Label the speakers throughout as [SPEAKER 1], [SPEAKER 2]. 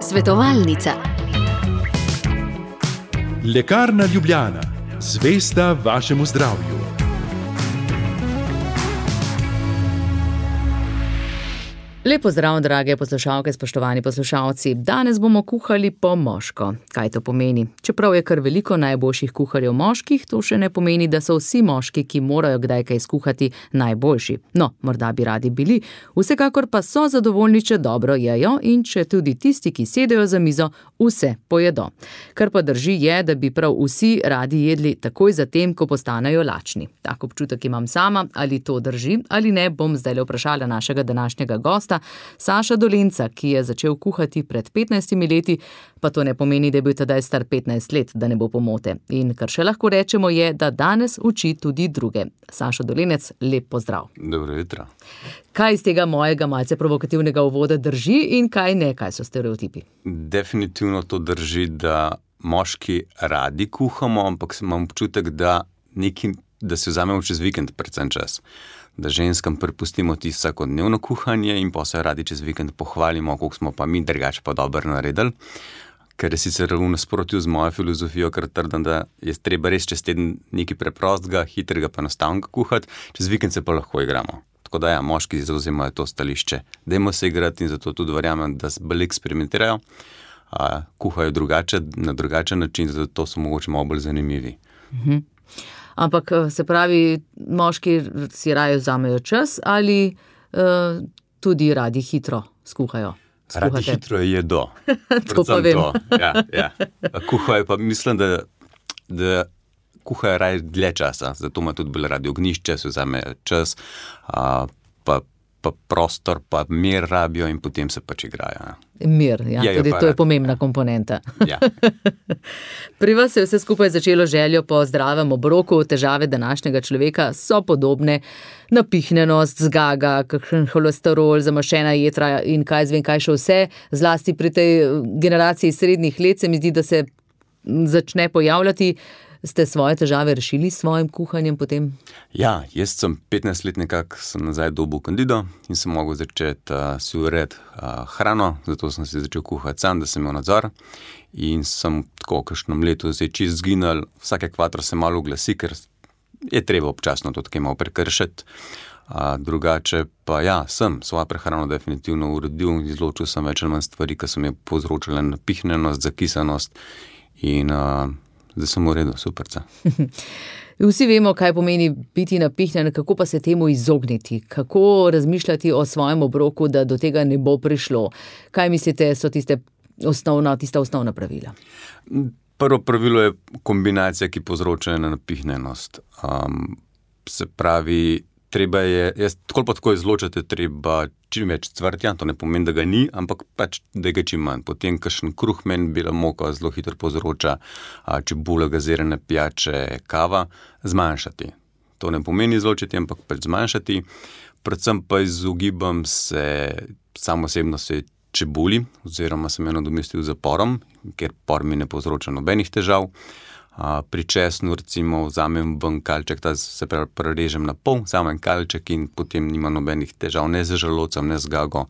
[SPEAKER 1] Svetovalnica.
[SPEAKER 2] Lekarna Ljubljana, zvesta vašemu zdravju.
[SPEAKER 3] Lep pozdrav, drage poslušalke, spoštovani poslušalci. Danes bomo kuhali po moško. Kaj to pomeni? Čeprav je kar veliko najboljših kuharjev moških, to še ne pomeni, da so vsi moški, ki morajo kdaj kaj skuhati, najboljši. No, morda bi radi bili, vsekakor pa so zadovoljni, če dobro jejo in če tudi tisti, ki sedejo za mizo, vse pojedo. Kar pa drži je, da bi prav vsi radi jedli takoj zatem, ko postanejo lačni. Tak občutek imam sama, ali to drži ali ne, bom zdaj vprašala našega današnjega gosta, Saša Dolenca, ki je začel kuhati pred 15 leti, pa to ne pomeni, da je bil tedaj star 15 let, da ne bo pomote. In kar še lahko rečemo je, da danes uči tudi druge. Saša Dolenec, lep pozdrav.
[SPEAKER 4] Dobro jutro.
[SPEAKER 3] Kaj iz tega mojega malce provokativnega uvoda drži in kaj ne, kaj so stereotipi?
[SPEAKER 4] Definitivno to drži, da moški radi kuhamo, ampak imam občutek, da si vzamemo čez vikend predvsem čas. Da ženskam prepustimo tisto vsakodnevno kuhanje in pa se radi čez vikend pohvalimo, koliko smo pa mi drugače pa dobro naredili. Ker je sicer v nasprotju z mojo filozofijo, ker trdim, da je treba res čez teden nekaj preprostega, hitrega pa enostavnega kuhati, čez vikend se pa lahko igramo. Tako da moški zavzemajo to stališče. Dajmo se igrati in zato tudi verjamem, da bolj eksperimentirajo, kuhajo na drugačen način, zato so mogoče malo bolj zanimivi.
[SPEAKER 3] Ampak se pravi, moški si raje vzamejo čas ali tudi radi hitro skuhajo?
[SPEAKER 4] Radi hitro jedo.
[SPEAKER 3] To pa vem.
[SPEAKER 4] Ja. Kuhajo pa mislim, da kuhajo raje dlje časa, zato ima tudi bolj radi ognjišče, se vzamejo čas, pa prostor, pa mir rabijo in potem se pač igrajo.
[SPEAKER 3] Mir, ja, tudi to je pomembna komponenta.
[SPEAKER 4] Ja.
[SPEAKER 3] Pri vas se je vse skupaj začelo željo po zdravem obroku, težave današnjega človeka so podobne, napihnjenost, zgaga, kakšen holesterol, zamaščena jetra in kaj še vse, zlasti pri tej generaciji srednjih let se mi zdi, da se začne pojavljati. Ste svoje težave rešili s svojim kuhanjem potem?
[SPEAKER 4] Ja, jaz sem 15 let nekako nazaj dobil kandido in sem mogel začeti si urediti hrano, zato sem si začel kuhati sam, da sem imel nadzor in sem tako v kakšnem letu zdaj čist zginil, vsake kvatro se malo oglasi, ker je treba občasno to tako malo prekršiti. Drugače pa sem svojo prehrano definitivno uredil in izločil sem več ali manj stvari, ki so mi povzročile napihnjenost, zakisanost in zdaj sem v redu, superca.
[SPEAKER 3] Vsi vemo, kaj pomeni biti napihnjen, kako pa se temu izogniti, kako razmišljati o svojem obroku, da do tega ne bo prišlo. Kaj mislite, so tista osnovna pravila?
[SPEAKER 4] Prvo pravilo je kombinacija, ki povzroča napihnjenost. Se pravi, treba je, tako izločati, treba čim več cvrtja, to ne pomeni, da ga ni, ampak pač, da ga čim manj. Potem kakšen kruhmen, bela moka zelo hitro povzroča, čebula, gazirane pijače, kava, zmanjšati. To ne pomeni izločiti, ampak pač zmanjšati. Predvsem pa izogibam se samo osebno čebuli, oziroma sem jo nadomestil z porom, ker por mi ne povzroča nobenih težav. Pri česnu recimo vzamem ven kalček, ta se prerežem na pol, vzamem kalček in potem nima nobenih težav, ne z želodcem, ne z gago.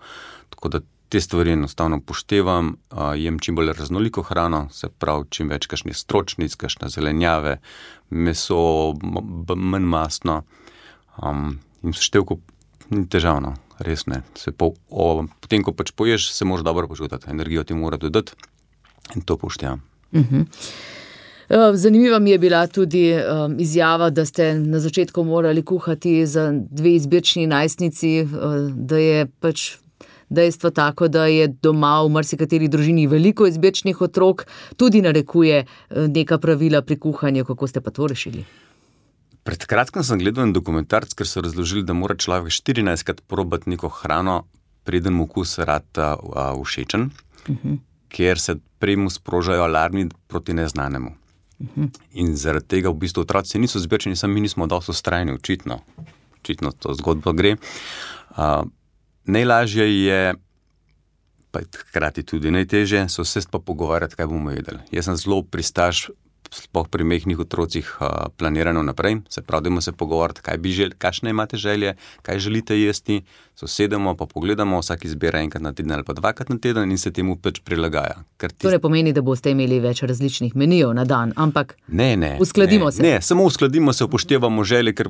[SPEAKER 4] Tako da te stvari enostavno upoštevam, jem čim bolj raznoliko hrano, se pravi čim več kakšnih stročnic, kakšne zelenjave, meso, manj mastno in seštevko ni težavno, res ne. Potem, ko pač poješ, se moraš dobro počutiti, energijo ti mora dodati in to upoštevam.
[SPEAKER 3] Zanimiva mi je bila tudi izjava, da ste na začetku morali kuhati za 2 izbirčni najstnici, da je pač dejstvo tako, da je doma v marsikateri družini veliko izbirčnih otrok, tudi narekuje neka pravila pri kuhanju. Kako ste pa to rešili?
[SPEAKER 4] Pred kratkim sem gledal en dokumentarc, ker so razložili, da mora človek 14krat probati neko hrano, preden mu okus rata všečen, ker se prej mu sprožajo alarmi proti neznanemu. In zaradi tega v bistvu otroci niso zbirčeni, mi nismo dosti vztrajni, očitno to zgodbo gre. Najlažje je, pa hkrati tudi najtežje, se vsesti pa pogovarjati, kaj bomo jedli. Jaz sem zelo pristaš sploh pri mehkih otrocih planirano naprej, se pravi, dajmo se pogovoriti, kakšne imate želje, kaj želite jesti, sosedemo, pa pogledamo, vsak izbira enkrat na teden ali pa dvakrat na teden in se temu pač prilagaja.
[SPEAKER 3] To ne pomeni, da boste imeli več različnih menijev na dan, ampak uskladimo se.
[SPEAKER 4] Ne, samo uskladimo se, upoštevamo želje, ker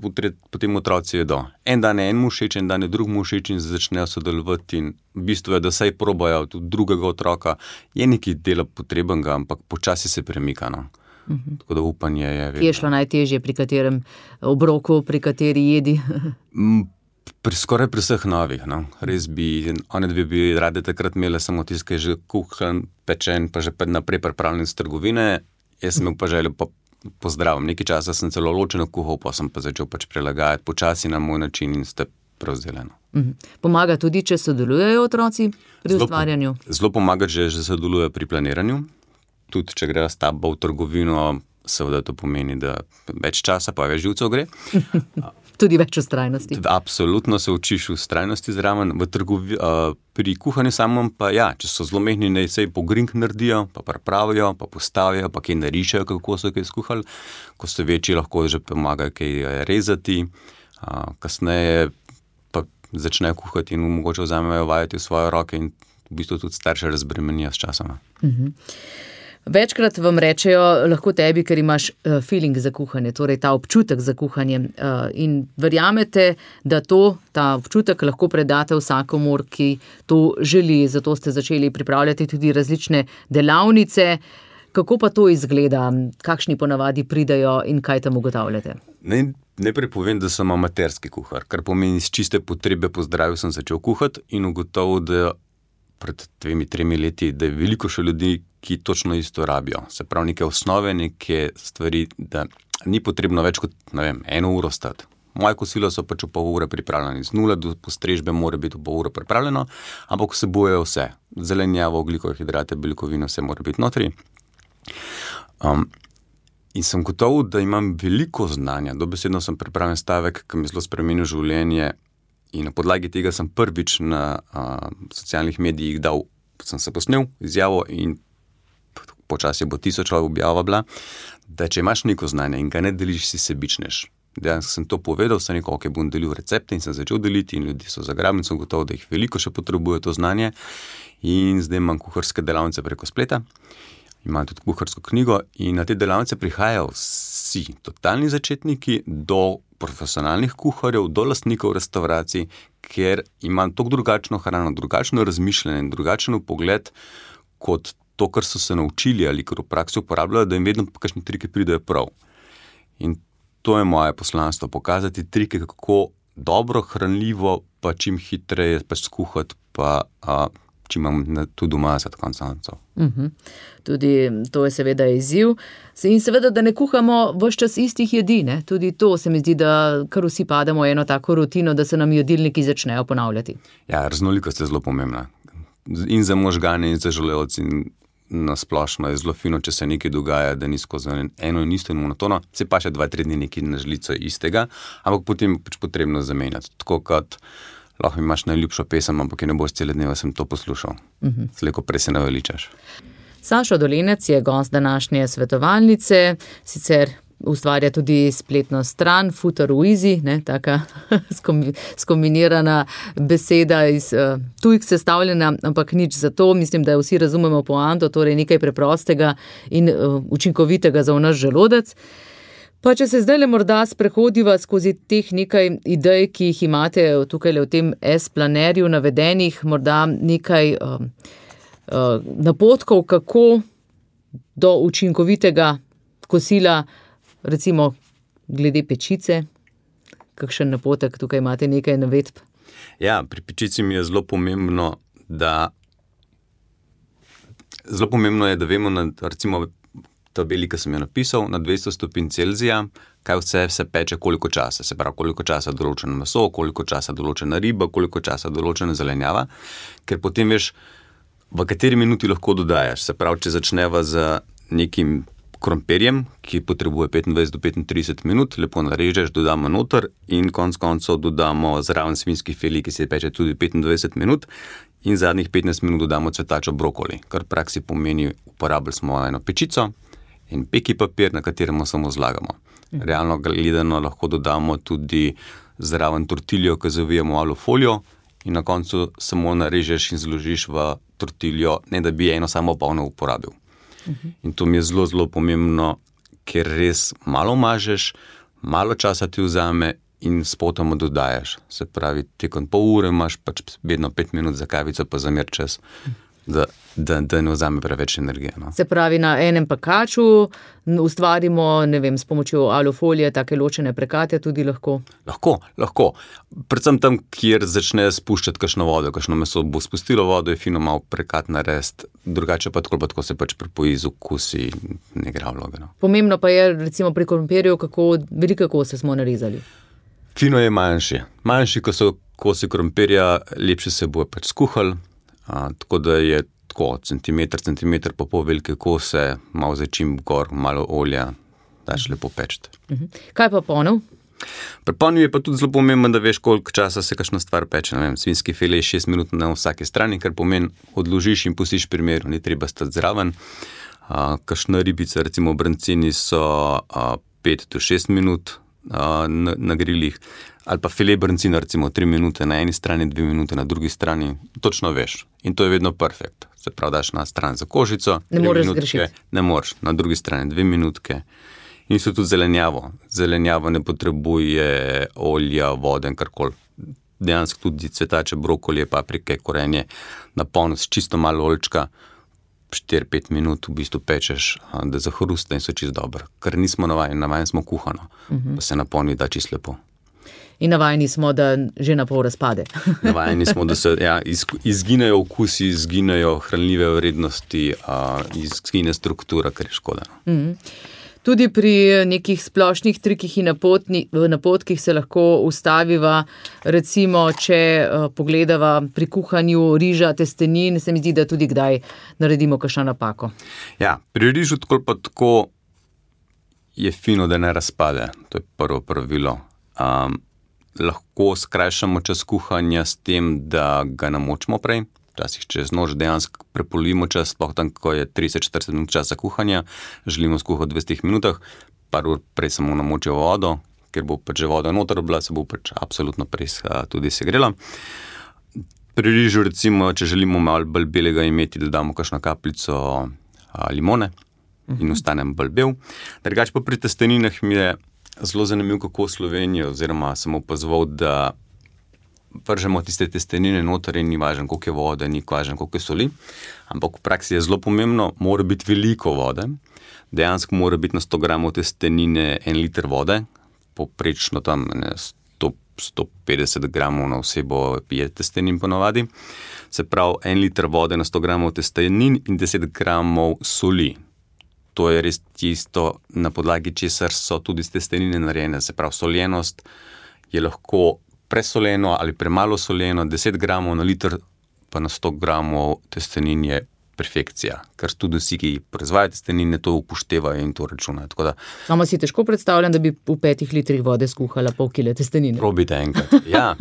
[SPEAKER 4] potem otroci jedo. En dan je enemu všeč, en dan je drugemu všeč in začnejo sodelovati in v bistvu je, da saj probajo tudi drugega otroka. Je nekaj dela potrebnega, ampak počasi se premika, no. Tako da upanje je vedno.
[SPEAKER 3] Kje je šlo najtežje, pri katerem obroku, pri kateri jedi?
[SPEAKER 4] Skoraj pri vseh novih, no. Res one dve bi rade takrat imele samo tisto, ki je že kuhan, pečen, pa že naprej pripravljen iz trgovine. Jaz sem imel pa željo pozdravim. Nekaj časa sem celo ločeno kuhal, pa sem pa začel pač prilagajati počasi na moj način in ste prevzeli.
[SPEAKER 3] Pomaga tudi, če sodelujejo otroci pri ustvarjanju?
[SPEAKER 4] Zelo pomaga, že sodelujejo pri planiranju. Tudi, če grejo s tabo v trgovino, seveda to pomeni, da več časa, pa več živcev gre.
[SPEAKER 3] Tudi več vztrajnosti.
[SPEAKER 4] Absolutno se učiš vztrajnosti zraven. Pri kuhanju samem pa če so zelo mehni, naj se pogrink naredijo, pa pripravijo, pa postavijo, pa kaj narišajo, kako so kaj skuhali. Ko so večji, lahko že pomagajo kaj rezati. Kasneje pa začnejo kuhati in mogoče vzamejo vajeti v svoje roke in v bistvu tudi starše razbremenijo s časoma.
[SPEAKER 3] Večkrat vam rečejo, lahko tebi, ker imaš feeling za kuhanje, torej ta občutek za kuhanje. In verjamete, da ta občutek lahko predate vsakomur, ki to želi. Zato ste začeli pripravljati tudi različne delavnice. Kako pa to izgleda? Kakšni ponavadi pridejo in kaj tam ugotavljate?
[SPEAKER 4] Najprej povem, da sem amaterski kuhar, kar pomeni iz čiste potrebe po zdravju sem začel kuhati in ugotovil, da pred 2-3 leti, da je veliko še ljudi, ki točno isto rabijo. Se pravi, neke osnove, neke stvari, da ni potrebno več kot, 1 uro stati. Moje kosilo so pač v pol ure pripravljeni. Z 0 do postrežbe mora biti v pol ure pripravljeno, ampak vsebujejo vse. Zelenjavo, ogljikove hidrate, beljakovine, vse mora biti notri. In sem gotovo, da imam veliko znanja. Dobesedno sem pripravljen stavek, ki mi zelo spremenil življenje. In na podlagi tega sem prvič na socialnih medijih sem se posnel izjavo in počasi bo 1000 objava bila, da če imaš neko znanje in ga ne deliš, si sebičnež. Dejansko sem to povedal, sem rekel, ok, bom delil recepte in sem začel deliti in ljudi so zagrabili, sem gotovo, da jih veliko še potrebuje to znanje in zdaj imam kuharske delavnice preko spleta. Imam tudi kuharsko knjigo in na te delavnice prihajajo vsi totalni začetniki do profesionalnih kuharjev, do lastnikov restavracij, ker imam toliko drugačno hrano, drugačno razmišljanje, drugačen pogled kot to, kar so se naučili ali kar v praksi uporabljajo, da jim vedno kakšni triki pridejo prav. In to je moje poslanstvo, pokazati trike, kako dobro, hranljivo, pa čim hitreje skuhati, pa čim imam tudi doma za konec koncev.
[SPEAKER 3] Tudi to je seveda izziv. In seveda, da ne kuhamo ves čas istih jedi, ne? Tudi to se mi zdi, da kar vsi pademo eno tako rutino, da se nam jedilniki začnejo ponavljati.
[SPEAKER 4] Ja, raznolikost je zelo pomembna. In za možgane, in za želodec, in na splošno je zelo fino, če se nekaj dogaja, da ni skozi eno in isto in monotono, se pa še 2-3 dni nekaj na žlico istega, ampak potem pač potrebno zamenjati. Tako kot lahko imaš najljubšo pesem, ampak je ne boš cele dneve sem to poslušal. Slejko prej se naveličaš.
[SPEAKER 3] Sašo Dolenec je gost današnje svetovalnice, sicer ustvarja tudi spletno stran Futar v Easy, taka skombinirana beseda iz tujk sestavljena, ampak nič za to. Mislim, da vsi razumemo poanto, torej nekaj preprostega in učinkovitega za naš želodec. Pa če se zdaj morda sprehodiva skozi teh nekaj idej, ki jih imate tukaj v tem S-planerju navedenih, morda nekaj napotkov, kako do učinkovitega kosila, recimo glede pečice, kakšen napotek, tukaj imate nekaj navedb.
[SPEAKER 4] Ja, pri pečici mi je zelo pomembno, da vemo, recimo tabeli, ki sem jo napisal, na 200 stopinj Celzija, kaj vse se peče, koliko časa. Se pravi, koliko časa določeno meso, koliko časa določena riba, koliko časa določena zelenjava, ker potem veš, v kateri minuti lahko dodajaš. Se pravi, če začneva z nekim krompirjem, ki potrebuje 25 do 35 minut, lepo narežeš, dodamo noter in konec koncev dodamo zraven svinjski fili, ki se peče tudi 25 minut in zadnjih 15 minut dodamo cvetačo brokoli, kar v praksi pomeni, uporabili smo eno pečico in peki papir, na katerem samo zlagamo. Realno gledano lahko dodamo tudi zraven tortiljo, ki zavijemo v alufolijo in na koncu samo narežeš in zložiš v tortiljo, ne da bi eno samo polno uporabil. In to mi je zelo, zelo pomembno, ker res malo mažeš, malo časa ti vzame in spotoma dodajaš. Se pravi, tekom pol ure imaš pač vedno 5 minut za kavico, pa za mir čas, da ne vzame preveč energije. No.
[SPEAKER 3] Se pravi, na enem pekaču ustvarimo, ne vem, s pomočjo alufolije, take ločene prekate tudi lahko?
[SPEAKER 4] Lahko. Predvsem tam, kjer začne spuščati kakšno vodo, kakšno meso bo spustilo vodo, je fino malo prekat narediti, drugače pa tako se pač pripoji z okusi in ne igra vloge. No.
[SPEAKER 3] Pomembno pa je, recimo pri krompirju, kako velike kose smo narezali.
[SPEAKER 4] Fino je manjši. Manjši, ko so kosi krompirja, lepše se bo pač skuhali, tako da je tako centimeter pa pol velike kose, malo začimb gor, malo olja, daš lepo pečiti.
[SPEAKER 3] Kaj pa ponev?
[SPEAKER 4] Pri ponev je pa tudi zelo pomembno, da veš, koliko časa se kakšna stvar peče. Ne vem, svinjski file je 6 minut na vsaki strani, kar pomeni odložiš in pustiš pri miru, ni treba stati zraven. Kakšna ribica, recimo brancini so 5 do 6 minut na grilih, ali pa file brancina recimo 3 minute na eni strani, 2 minute na drugi strani, točno veš. In to je vedno perfekt. Se pravi, daš na stran za kožico,
[SPEAKER 3] ne moreš zgrešiti.
[SPEAKER 4] Ne moreš, na drugi strani 2 minutke. In so tudi zelenjavo. Zelenjavo ne potrebuje olja, vode in karkoli. Dejansko tudi cvetače, brokolije, paprike, korenje, napolno s čisto malo oljčka, 4-5 minut v bistvu pečeš, da zahrusta in so čisto dobro. Ker nismo navajeni smo kuhano, pa se napolni da čisto lepo.
[SPEAKER 3] In navajeni smo, da že na pol razpade.
[SPEAKER 4] Navajeni smo, da se izginejo okusi, izginejo hranljive vrednosti, izgine struktura, kar je škoda.
[SPEAKER 3] Tudi pri nekih splošnih trikih in napotkih se lahko ustaviva, recimo, če pogledava pri kuhanju riža, testenin, se mi zdi, da tudi kdaj naredimo kakšno napako.
[SPEAKER 4] Ja, pri rižu tako je fino, da ne razpade. To je prvo pravilo. Lahko skrajšamo čas kuhanja s tem, da ga namočimo prej. Včasih čez noč dejansko prepolovimo čas, sploh tam, ko je 30-40 minut časa kuhanja, želimo skuhati v 20 minutah, par ur prej samo namočijo vodo, ker bo pač že voda noter bila, se bo pač absolutno prej tudi segrela. Pri rižu recimo, če želimo malo bolj belega imeti, dodamo kakšno kapljico limone in ostanem bolj bel. Drugače pa pri testeninah mi je zelo zanimiv, kako v Sloveniji, oziroma sem opazoval, da vržemo tiste testenine noter in ni važno, koliko je vode, ni važno, koliko je soli, ampak v praksi je zelo pomembno, mora biti veliko vode, dejansko mora biti na 100 gramov testenine 1 liter vode, poprečno tam 150 gramov na osebo pije testenin ponavadi, se pravi 1 liter vode na 100 gramov testenin in 10 gramov soli. To je res tisto, na podlagi česar so tudi testenine narejene, se pravi soljenost je lahko presoleno ali premalo soljeno, 10 gramov na liter pa na 100 gramov testenin je perfekcija, ker tudi vsi, ki proizvajajo testenine, to upoštevajo in to računajo.
[SPEAKER 3] Samo si težko predstavljam, da bi v 5 litrih vode skuhala pol kile testenine.
[SPEAKER 4] Probite enkrat, ja.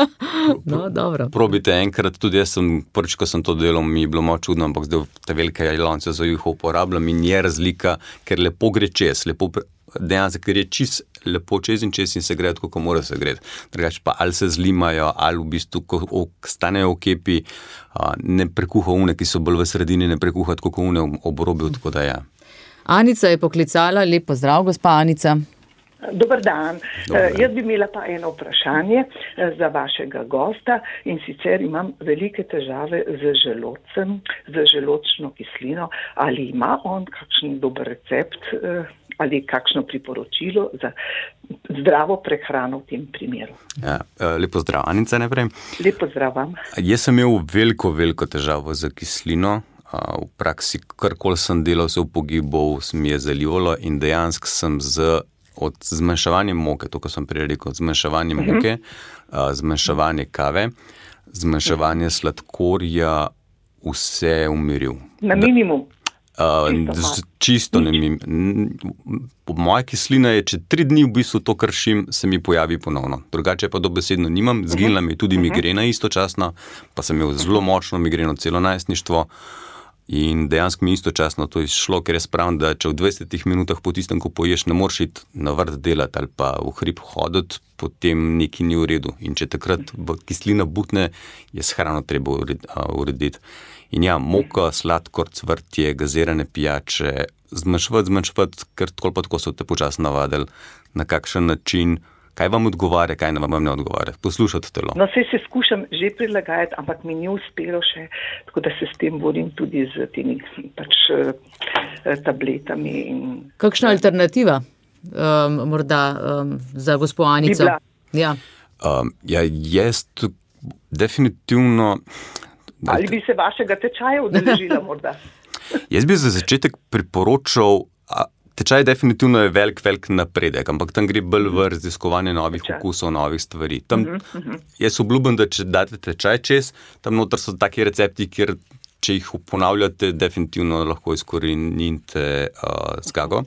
[SPEAKER 3] No, dobro.
[SPEAKER 4] Probite enkrat, tudi jaz prvič, ko sem to delal, mi je bilo malo čudno, ampak zdaj te velike lonce za juho uporabljam in je razlika, ker lepo gre čez, dejansko, ker je čist lepo čez in se gre tako, ko mora se gre. Drugače pa ali se zlimajo, ali v bistvu, ko stanejo v kepi, ne prekuha une, ki so bolj v sredini, ne prekuha tako une ob robu, tako da ja.
[SPEAKER 3] Anica je poklicala, lep pozdrav, gospa Anica.
[SPEAKER 1] Dobar dan. Jaz bi imela pa eno vprašanje za vašega gosta in sicer imam velike težave z želodcem, z želodčno kislino. Ali ima on kakšen dober recept ali kakšno priporočilo za zdravo prehrano v tem primeru?
[SPEAKER 4] Ja, lepo zdrav, Anica, najprej.
[SPEAKER 1] Lepo zdrav vam.
[SPEAKER 4] Jaz sem imel veliko težavo z kislino. V praksi, karkoli sem delal, se v pogibov mi je zalivalo in dejansko sem od zmanjševanja moke, to, ko sem prej rekel, od zmanjševanja moke, zmanjševanje kave, zmanjševanje sladkorja, vse umiril.
[SPEAKER 1] Na minimum?
[SPEAKER 4] Čisto na minimum. Moja kislina je, če 3 dni v bistvu to kršim, se mi pojavi ponovno. Drugače pa dobesedno nimam, zginila mi je tudi migrena istočasno, pa sem imel zelo močno migreno celo najstništvo. In dejansko mi istočasno to izšlo, ker jaz pravim, da če v 20 minutah po tistem, ko poješ, ne moreš iti na vrt delati ali pa v hrib hoditi, potem nekaj ni v redu. In če takrat kislina butne, je s hrano treba urediti. In ja, moka, sladkor, cvrtje, gazirane pijače, zmanjševati, ker tako so te počasno navadili, na kakšen način, kaj vam odgovarja, kaj vam ne odgovarja. Poslušati telo.
[SPEAKER 1] No, se skušam že prilagajati, ampak mi ni uspelo še, tako da se s tem borim tudi z temi tabletami.
[SPEAKER 3] Kakšna alternativa morda za gospo Anico? Ja.
[SPEAKER 4] Jaz definitivno...
[SPEAKER 1] Ali bi se vašega tečaja udeležila morda?
[SPEAKER 4] Jaz bi za začetek priporočal, tečaj definitivno je velik napredek, ampak tam gre bolj v raziskovanje novih okusov, novih stvari. Tam, jaz obljubim, da če date tečaj čez, tam noter so taki recepti, kjer če jih ponavljate, definitivno lahko izkorenite zgago.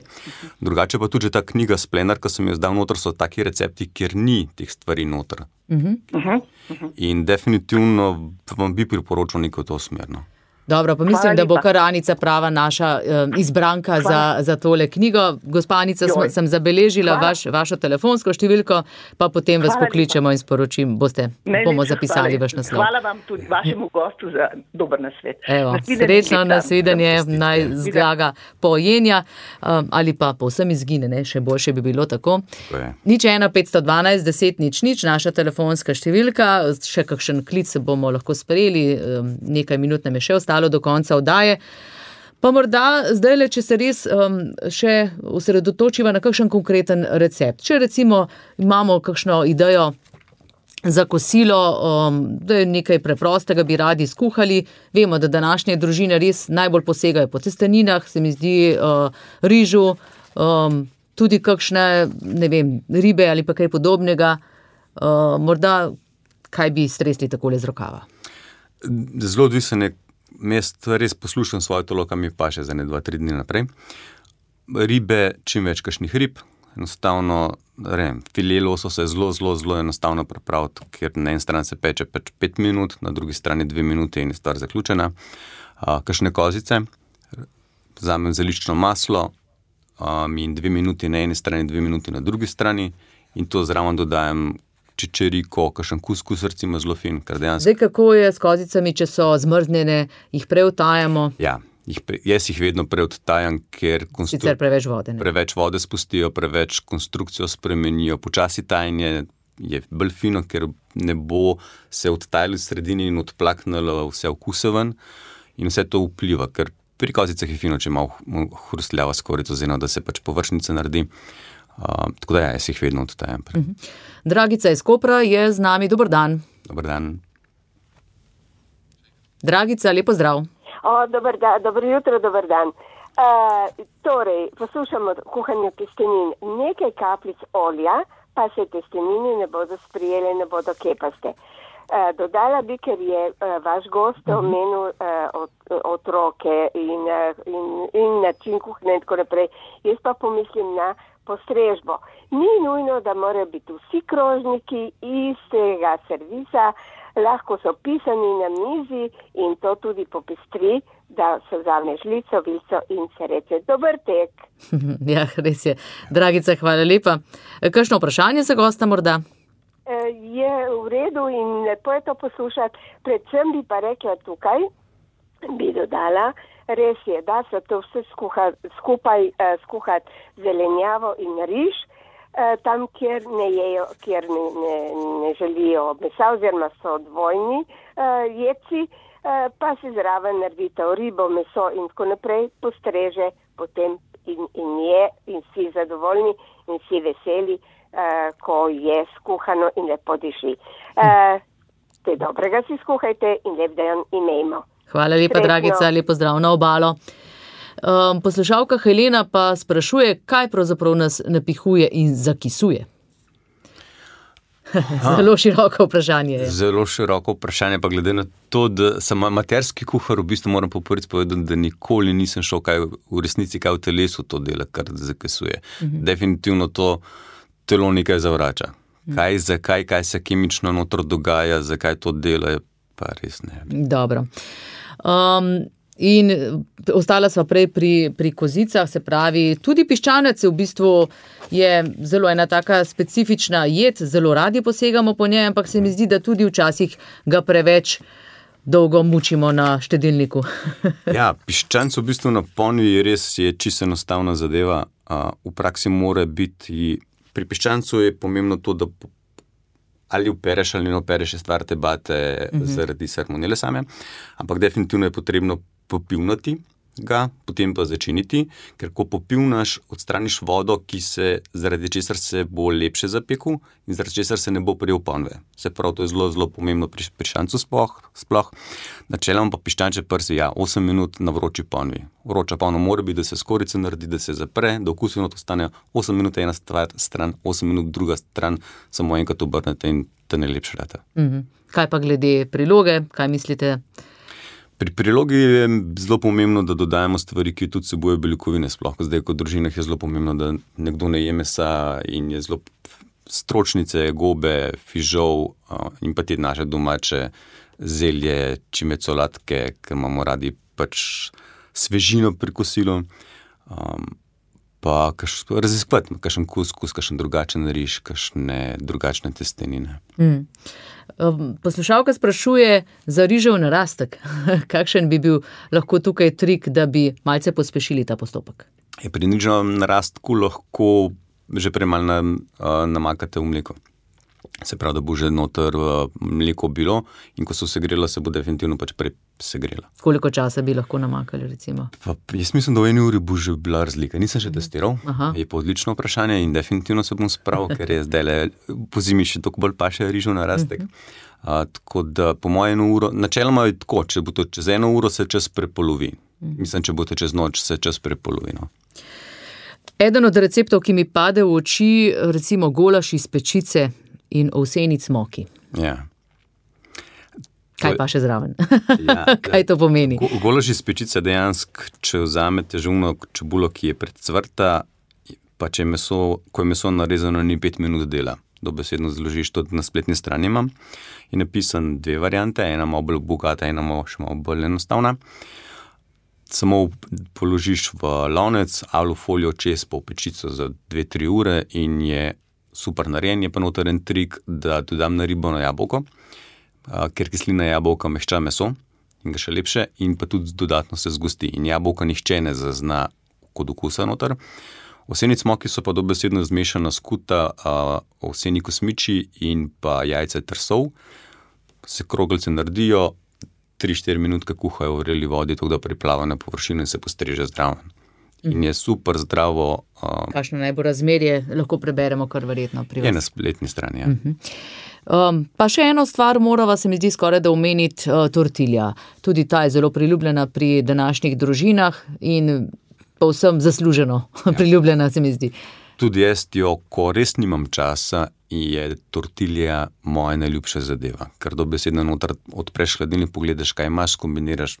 [SPEAKER 4] Drugače pa tudi ta knjiga Splenar, ko sem jo zdal noter, so taki recepti, kjer ni teh stvari noter. In definitivno vam bi priporočal neko to smerno.
[SPEAKER 3] Dobro, pa mislim, da bo kar Anica prava naša izbranka za tole knjigo. Gospa Anica, sem zabeležila vašo telefonsko številko, pa potem vas pokličemo in bomo zapisali vaš naslov.
[SPEAKER 1] Hvala vam tudi vašemu gostu za dober nasvet.
[SPEAKER 3] Evo, srečno nasvidenje, naj zgaga pojenja ali pa povsem izgine, ne? Še boljše bi bilo tako. 01 512 10 00, naša telefonska številka, še kakšen klic bomo lahko sprejeli, nekaj minut nam je še ostalo do konca oddaje. Pa morda zdajle, če se res še osredotočiva na kakšen konkreten recept. Če recimo imamo kakšno idejo za kosilo, da je nekaj preprostega bi radi skuhali, vemo, da današnje družine res najbolj posegajo po testeninah, se mi zdi rižu, tudi kakšne, ne vem, ribe ali pa kaj podobnega. Morda kaj bi stresli takole z rokava?
[SPEAKER 4] Zelo odvisen je. Jaz res poslušam svoje telo, kam mi paše za 2-3 dni naprej. Ribe, čim več kakšnih rib, enostavno, file lososa je zelo enostavno pripraviti, ker na eni strani se peče 5 minut, na drugi strani 2 minute in je stvar zaključena. Kakšne kozice, vzamem zeliščno maslo in 2 minuti na eni strani, 2 minuti na drugi strani in to zraven dodajem čičeriko, kakšen kuskus recimo zelo fin.
[SPEAKER 3] Zdaj, kako je s kozicami, če so zmrznjene, jih preodtajamo?
[SPEAKER 4] Ja, jaz jih vedno preodtajam, ker
[SPEAKER 3] sicer preveč vode, ne?
[SPEAKER 4] Preveč vode spustijo, preveč konstrukcijo spremenijo. Počasi tajanje je bolj fino, ker ne bo se odtajalo v sredini in odplaknilo vse okuse ven in vse to vpliva, ker pri kozicah je fino, če malo hrustljava skorjica oziroma, da se pač površnica naredi. Tako da jaz jih vedno odtajam.
[SPEAKER 3] Dragica iz Kopra je z nami. Dober dan.
[SPEAKER 4] Dober dan.
[SPEAKER 3] Dragica, lepo zdrav.
[SPEAKER 5] Dobro jutro, dober dan. Torej, poslušamo kuhanju testenin. Nekaj kapljic olja, pa se testenini ne bodo sprijele, ne bodo kepaste. Dodala bi, ker je vaš gost omenil otroke in način kuhne in tako naprej. Jaz pa pomislim na postrežbo. Ni nujno, da morajo biti vsi krožniki istega servisa, lahko so pisani na mizi in to tudi popestri, da se vzame žlico, vico in se reče dober tek.
[SPEAKER 3] Ja, res je. Dragica, hvala lepa. Kakšno vprašanje za gosta morda?
[SPEAKER 5] Je v redu in lepo je to poslušati. Predvsem bi pa rekla tukaj, bi dodala, res je, da se to vse skupaj skuhati zelenjavo in riž, tam, kjer ne jejo, kjer ne želijo mesa oziroma so dvojni jedci, pa si zraven naredite ribo, meso in tako naprej, postreže potem in je in si zadovoljni in si veseli, ko je skuhano in lepo diši. Te dobrega si skuhajte in lep dan imejmo.
[SPEAKER 3] Hvala lepa, Dragica, lepo zdrav na obalo. Poslušalka Helena pa sprašuje, kaj pravzaprav nas napihuje in zakisuje. Zelo široko vprašanje je.
[SPEAKER 4] Zelo široko vprašanje, pa glede na to, da sem amaterski kuhar, v bistvu moram po prvič povedati, da nikoli nisem šel v resnici kaj v telesu to dela, kar zakisuje. Definitivno to telo nekaj zavrača. Kaj se kemično notro dogaja, zakaj to dela, pa res ne.
[SPEAKER 3] Dobro. In ostala sva prej pri kozicah, se pravi, tudi piščanec v bistvu je zelo ena taka specifična jed, zelo radi posegamo po njej, ampak se mi zdi, da tudi včasih ga preveč dolgo mučimo na štedilniku.
[SPEAKER 4] Ja, piščanc v bistvu na ponvi res je čisto enostavna zadeva. V praksi mora biti, pri piščancu je pomembno to, da ali opereš ali ne opereš, je stvar debate zaradi salmonele same, ampak definitivno je potrebno popivnati ga, potem pa začiniti, ker ko popivnaš, odstraniš vodo, zaradi česar se bo lepše zapekel in zaradi česar se ne bo prijel ponve. Se pravi, to je zelo, zelo pomembno pri piščancu sploh. Načeloma pa piščančje prsi, 8 minut na vroči ponvi. Vroča ponva mora biti, da se skorica naredi, da se zapre, da okusno to stane 8 minut ena stran, 8 minut druga stran, samo enkrat obrnete in to najlepše rata.
[SPEAKER 3] Kaj pa glede priloge, kaj mislite?
[SPEAKER 4] Pri prilogi je zelo pomembno, da dodajamo stvari, ki tudi sebujejo beljakovine sploh. Zdaj, kot družinah je zelo pomembno, da nekdo ne je mesa in je zelo stročnice, gobe, fižol in pa te naše domače zelje, čime solatke, ker imamo radi pač svežino pri kosilu. Pa raziskovati, kakšen kuskus, kakšen drugačen riž, kakšne drugačne testenine.
[SPEAKER 3] Poslušalka sprašuje za rižev narastek. Kakšen bi bil lahko tukaj trik, da bi malce pospešili ta postopek?
[SPEAKER 4] Pri riževem narastku lahko že prej malo namakate v mleko. Se pravi, da bo že noter mleko bilo in ko so segrela, se bo definitivno pač prej segrela.
[SPEAKER 3] Koliko časa bi lahko namakali, recimo?
[SPEAKER 4] Jaz mislim, da v 1 uri bo že bila razlika. Nisem še testiral, je pa odlično vprašanje in definitivno se bom spravil, ker je zdaj po zimi še toliko bolj paše rižev narastek. Tako da po moje 1 uro, načeloma je tako, če bo to čez 1 uro, se čas prepolovi. Mislim, če bo to čez noč, se čas prepolovi.
[SPEAKER 3] Eden od receptov, ki mi pade v oči, recimo golaš iz pečice in ovseni cmoki.
[SPEAKER 4] Ja.
[SPEAKER 3] Kaj pa še zraven? Kaj to pomeni?
[SPEAKER 4] Golaž iz pečice dejansko, če vzamete žumno čebulo, ki je predcvrta, pa če ko je meso narezano, ni 5 minut dela. Dobesedno zložiš, to na spletni strani imam. Je napisan 2 variante, ena malo bolj bogata, ena še malo bolj enostavna. Samo položiš v lonec, alufolijo čez pa v pečico za 2-3 ure in je super narejen. Je pa noter en trik, da dodam naribano jabolko, ker kislina jabolka mehča meso in ga še lepše in pa tudi dodatno se zgosti. In jabolka nihče ne zazna kot okusa noter. Ovseni cmoki so pa dobesedno zmešana skuta ovseni kosmiči in pa jajce ter sol. Se kroglice naredijo, 3-4 minutke kuhajo v vreli vodi, tako da priplava na površino in se postreže zdraven. In je super zdravo.
[SPEAKER 3] Kakšno naj bo razmerje, lahko preberemo kar verjetno pri vas.
[SPEAKER 4] Je na spletni strani, ja.
[SPEAKER 3] Pa še eno stvar morava, se mi zdi skoraj da omeniti, tortilja. Tudi ta je zelo priljubljena pri današnjih družinah in povsem zasluženo priljubljena, se mi zdi.
[SPEAKER 4] Tudi jaz jo, ko res nimam časa, je tortilja moja najljubša zadeva. Ker dobesedno noter odpreš hladilnik, pogledaš, kaj imaš, kombiniraš.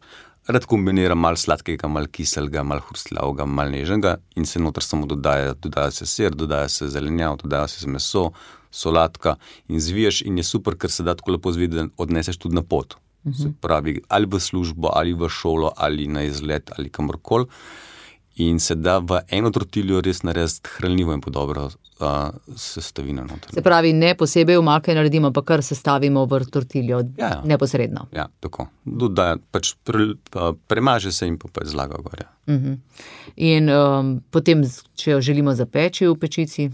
[SPEAKER 4] Rad kombiniram malo sladkega, malo kiselga, malo hrustljavega, malo nežnega in se noter samo dodaja se sir, dodaja se zelenjav, dodaja se meso, solatka in zviješ in je super, ker se da tako lepo zviti, da odneseš tudi na pot. Se pravi, ali v službo, ali v šolo, ali na izlet, ali kamorkoli. In se da v eno tortiljo res narediti hranljivo in podobro sestavino noter.
[SPEAKER 3] Se pravi, ne posebej omake naredimo, pa kar sestavimo v tortiljo neposredno.
[SPEAKER 4] Ja, tako. Pač premaže se in pa zlaga gor.
[SPEAKER 3] In potem, če jo želimo zapeči v pečici?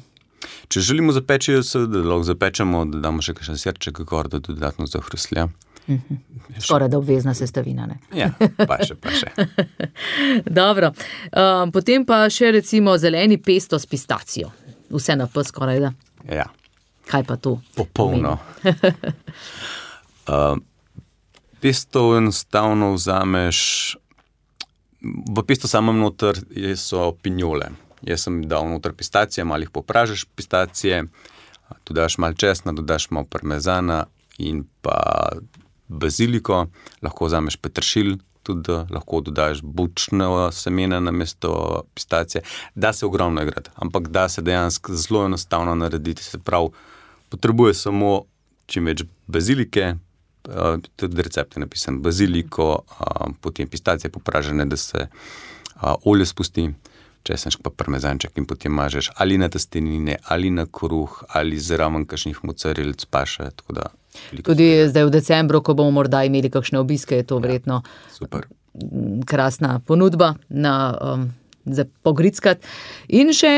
[SPEAKER 4] Če želimo zapeči, seveda lahko zapečemo, da damo še kakšen sirček gor, da dodatno zahrustlja.
[SPEAKER 3] Skoraj da obvezna sestavina, ne?
[SPEAKER 4] Ja, pa še.
[SPEAKER 3] Dobro. Potem pa še recimo zeleni pesto s pistacijo. Vse na P skoraj da.
[SPEAKER 4] Ja.
[SPEAKER 3] Kaj pa to?
[SPEAKER 4] Popolno. Pesto enostavno vzameš, v pesto samem noter so pinjole. Jaz sem dal noter pistacije, malo jih popražeš pistacije, dodaš malo česna, dodaš malo parmezana in pa baziliko, lahko vzameš peteršilj, tudi lahko dodaš bučno semena namesto pistacije. Da se ogromno igrati, ampak da se dejansko zelo enostavno narediti. Se pravi, potrebuje samo čim več bazilike, tudi recept je napisan, baziliko, potem pistacije popražene, da se olje spusti, česenček pa parmezanček in potem mažeš ali na testenine, ali na kruh, ali zraven kakšnih mocarelic paše, tako da...
[SPEAKER 3] Tudi zdaj v decembru, ko bomo morda imeli kakšne obiske, je to verjetno
[SPEAKER 4] super.
[SPEAKER 3] Krasna ponudba za pogrickat. In še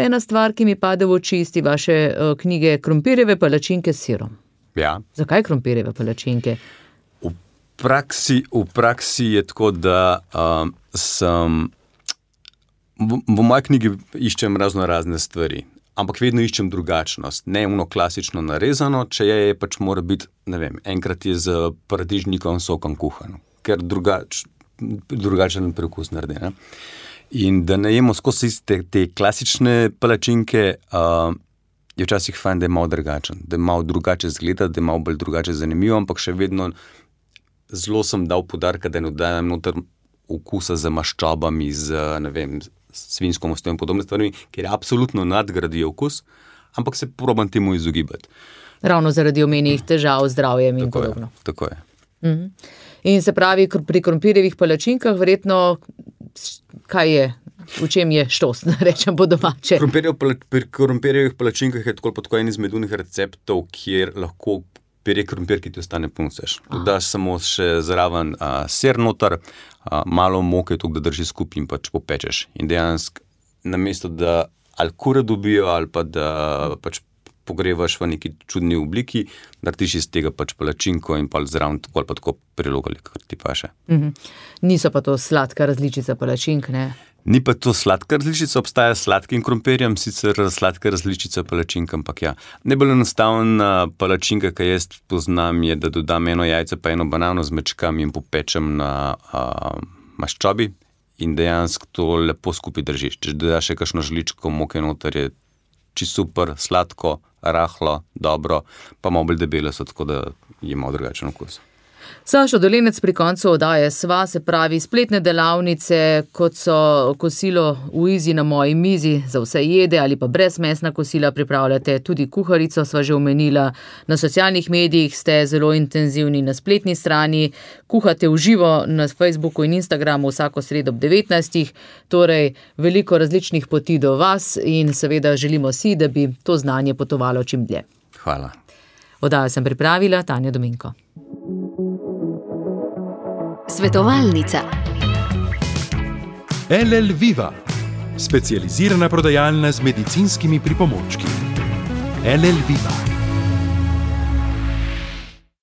[SPEAKER 3] ena stvar, ki mi pade v oči iz vaše knjige, krompirjeve palačinke s sirom.
[SPEAKER 4] Ja.
[SPEAKER 3] Zakaj krompirjeve palačinke?
[SPEAKER 4] V praksi je tako, da sem... V moji knjigi iščem razne stvari, ampak vedno iščem drugačnost. Ne klasično narezano, če je pač mora biti, ne vem, enkrat je z paradižnikovim sokom kuhano, ker drugačen prekus naredi. Ne? In da ne jemo skozi te klasične palačinke, je včasih fajn, da je malo drugačen, da je malo drugače zgleda, da je malo bolj drugače zanimivo, ampak še vedno zelo sem dal poudarka, da ne dodajam noter okusa z maščobami, ne vem, svinjsko mastjo in podobne stvari, ker apsolutno nadgradijo okus, ampak se probam temu izogibati.
[SPEAKER 3] Ravno zaradi omenjenih težav z zdravjem in podobno.
[SPEAKER 4] Tako je.
[SPEAKER 3] In se pravi, pri krompirjevih palačinkah verjetno, kaj je, v čem je štos, rečem po domače?
[SPEAKER 4] Pri krompirjevih palačinkah je tako en izmed unih receptov, kjer lahko pire krompir, ki ti ostane ponoseš. Dodaš samo še zraven ser noter, malo moke, da drži skupaj in pač popečeš. In dejansko, namesto da ali kure dobijo, ali pa da pač pogrevaš v neki čudni obliki, narediš iz tega pač palačinko in pa zraven tako ali pa tako prilogali, kar ti paše.
[SPEAKER 3] Niso pa to sladka različica palačink, ne?
[SPEAKER 4] Ni pa to sladka različica, obstaja sladkim krompirjem, sicer sladka različica palačink, ampak ja. Najbolj enostavna palačinka, ki jaz poznam, je, da dodam eno jajce pa eno banano, zmečkam in popečem na maščobi in dejansko to lepo skupaj držiš. Če dodaš še kakšno žličko moke noter, je čisto super, sladko, rahlo, dobro, pa malo bolj debele so, tako da je malo drugačen okus.
[SPEAKER 3] Sašo Dolenec pri koncu oddaje sva, se pravi spletne delavnice, kot so kosilo v Izi na moji mizi za vse jede ali pa brezmesna kosila pripravljate, tudi kuharico sva že omenila, na socialnih medijih ste zelo intenzivni na spletni strani, kuhate v živo na Facebooku in Instagramu vsako sredo ob 19. Torej veliko različnih poti do vas in seveda želimo si, da bi to znanje potovalo čim dlje.
[SPEAKER 4] Hvala.
[SPEAKER 3] Oddajo sem pripravila Tanja Dominko.
[SPEAKER 6] Svetovalnica.
[SPEAKER 2] LL Viva, specializirana prodajalna z medicinskimi pripomočki. LL Viva.